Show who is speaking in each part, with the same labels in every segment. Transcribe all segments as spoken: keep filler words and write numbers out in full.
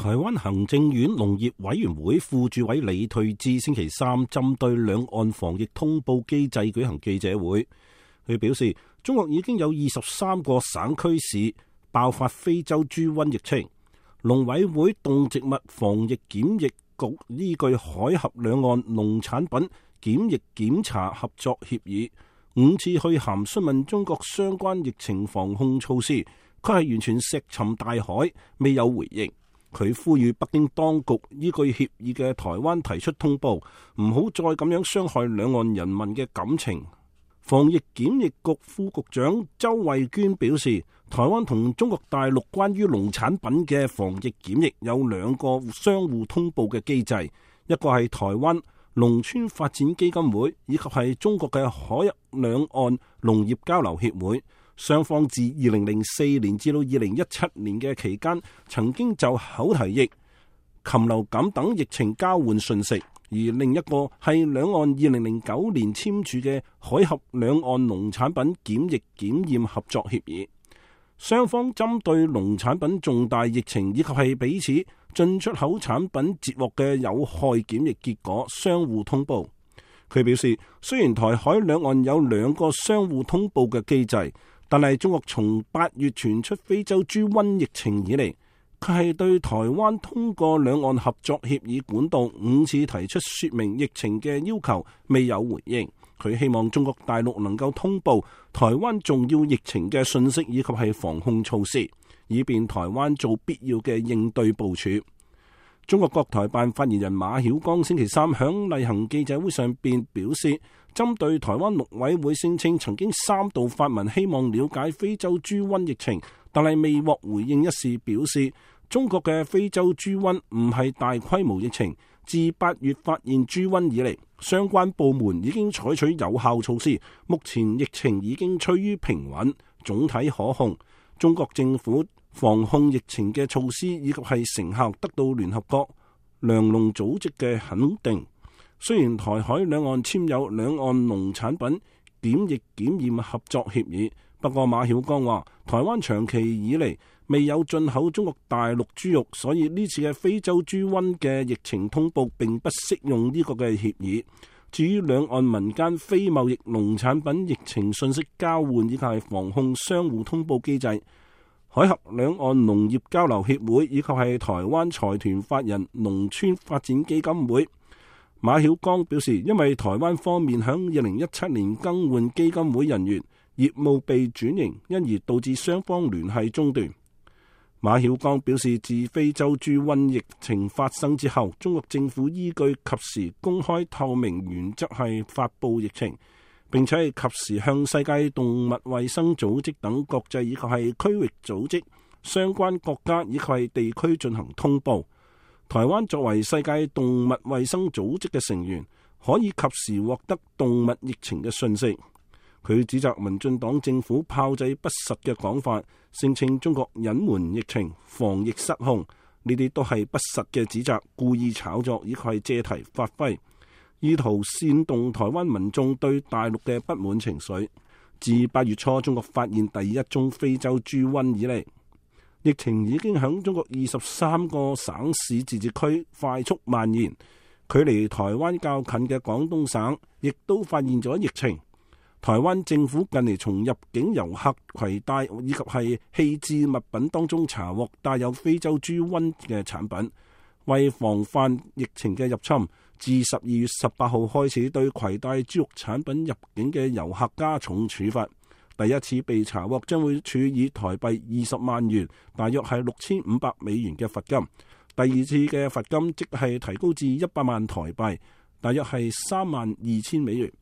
Speaker 1: 台灣行政院農業委員會副主委李退智星期三針對兩岸防疫通報機制舉行記者會，佢表示中國已經有二十三個省區市爆發非洲豬瘟疫情，農委會動植物防疫檢疫局依據海峽兩岸農產品檢疫檢查合作協議，五次去函詢問中國相關疫情防控措施，佢係完全石沉大海，未有回應。佢呼籲北京當局依據協議嘅台灣提出通報，唔好再咁樣傷害兩岸人民嘅感情。防疫檢疫局副局長周慧娟表示，台灣同中國大陸關於農產品嘅防疫檢疫有兩個相互通報嘅機制，一個係台灣農村發展基金會，以及係中國嘅海峽兩岸農業交流協會。雙方自二零零四年至到二零一七年嘅期間，曾經就口蹄疫、禽流感等疫情交換信息。而另一個係兩岸二零零九年簽署嘅海峽兩岸農產品檢疫檢驗合作協議。雙方針對農產品重大疫情以及係彼此進出口產品截獲嘅有害檢疫結果相互通報。佢表示，雖然台海兩岸有兩個相互通報嘅機制，但係中國從八月傳出非洲豬瘟疫情以嚟，佢係對台灣通過兩岸合作協議管道五次提出說明疫情嘅要求，未有回應。佢希望中國大陸能夠通報台灣重要疫情嘅信息以及係防控措施，以便台灣做必要嘅應對部署。中國國台辦發言人馬曉光星期三響例行記者會上邊表示，針對台灣陸委會聲稱曾經三度發文希望了解非洲豬瘟疫情，但係未獲回應一事，表示中國嘅非洲豬瘟唔係大規模疫情，自八月發現豬瘟以嚟，相關部門已經採取有效措施，目前疫情已經趨於平穩，總體可控。中國政府防控疫情嘅措施以及係成效得到聯合國糧農組織嘅肯定。雖然台海兩岸簽有兩岸農產品檢疫檢驗合作協議，不過馬曉光話，台灣長期以嚟未有進口中國大陸豬肉，所以呢次嘅非洲豬瘟嘅疫情通報並不適用呢個嘅協議。至於兩岸民間非貿易農產品疫情信息交換以及係防控相互通報機制，海峽兩岸農業交流協會以及係台灣財團法人農村發展基金會，馬曉光表示，因為台灣方面響二零一七年更換基金會人員，業務被轉型，因而導致雙方聯繫中斷。馬曉光表示，自非洲豬瘟疫情發生之後，中國政府依據及時公開透明原則係發布疫情，並且係及時向世界動物衛生組織等國際以及係區域組織、相關國家以及係地區進行通報。台灣作為世界動物衛生組織嘅成員，可以及時獲得動物疫情嘅信息。佢指責民進黨政府炮製不實嘅講法，聲稱中國隱瞞疫情、防疫失控，呢啲都係不實嘅指責，故意炒作，以及係借題發揮，意圖煽動台灣民眾對大陸嘅不滿情緒。自八月初中國發現第一宗非洲豬瘟以嚟，疫情已經響中國二十三個省市自治區快速蔓延，距離台灣較近嘅廣東省亦都發現咗疫情。台灣政府近嚟從入境遊客攜帶以及係棄置物品當中查獲帶有非洲豬瘟嘅產品，為防範疫情嘅入侵，自十二月十八號開始對攜帶豬肉產品入境嘅遊客加重處罰。第一次被查獲將會處以台幣二十萬元，大約係六千五百美元嘅罰金。第二次嘅罰金即係提高至一百萬台幣，大約係三萬二千美元。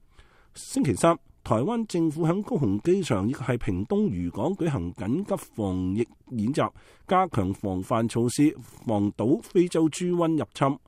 Speaker 1: 星期三，台灣政府喺高雄機場亦係屏東漁港舉行緊急防疫演習，加強防範措施，防堵非洲豬瘟入侵。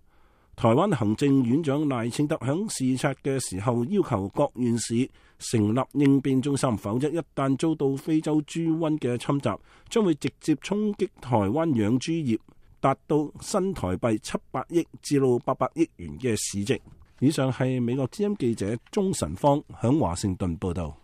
Speaker 1: 台灣行政院長賴清德喺視察嘅時候要求各縣市成立應變中心，否則一旦遭到非洲豬瘟嘅侵襲，將會直接衝擊台灣養豬業，達到新台幣七百億至到八百億元嘅市值。以上係美國之音記者鍾晨芳響華盛頓報道。